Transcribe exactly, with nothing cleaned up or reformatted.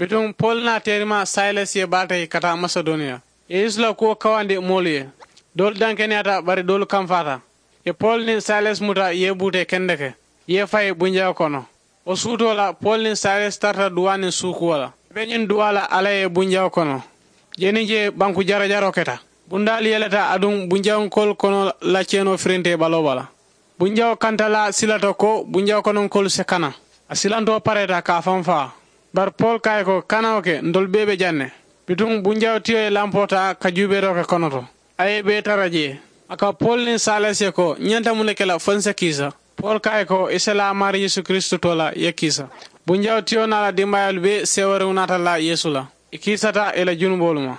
Bituŋ poolu naa teerima sayilas ye baata ye ka taa masedoniya. Ye yeesu la kuwo kawandi moolu ye. Doolu dankeneyaata bari doolu kamfaata. Ye poolu niŋ sayilas muta ye buutee kendeke ye fayi bunjawo kono. Wo suutoo la poolu niŋ sayilas tarata duwaa niŋ suukuwo la. I be ñiŋ duwaa la alla ye bunjawo kono. Jee niŋ jee banku jarajaroo keta. Bundaalu yeleta aduŋ bunjawunkoolu kono la ceenoo firintee baloo bala. Bunjawo kanta la sila to ko bunjawo kononkoolu si kana. A silantoo pareeta ka a faŋ faa. Bari poolu ko a ye ko kana wo ke ntolu bee be jaŋ ne. Bituŋ bunjawo tiyo ye lampoo taa ka juubeeroo ke kono to. A ye i bee tara jee. A ka poolu niŋ sayilas ye ko ñanta muŋ ne ke la fo n si kiisa? Poolu ko a ye ko i si laa maari yeesu kiristu to la i ye kiisa. Bunjawo tiyo naa la dimbaayaalu bee seewariŋo naata la yeesu la. I kiisata i la junuboolu ma.